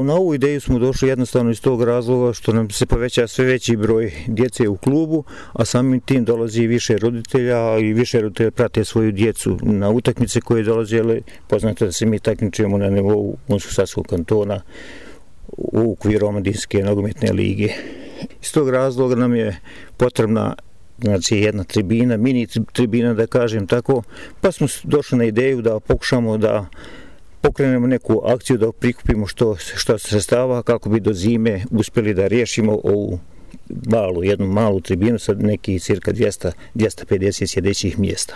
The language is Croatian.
Na ovu ideju smo došli jednostavno iz tog razloga što nam se poveća sve veći broj djece u klubu, a samim tim dolazi više roditelja i više roditelja prate svoju djecu na utakmice koje dolaze, ali poznato da se mi takmičimo na nivou Unsko-Sanskog kantona u okviru Omladinske nogometne lige. Iz tog razloga nam je potrebna jedna tribina, mini tribina da kažem tako, pa smo došli na ideju da pokušamo da pokrenemo neku akciju, da prikupimo što sredstava kako bi do zime uspjeli da riješimo ovu jednu malu tribinu sa nekih cirka 250 sjedećih mjesta.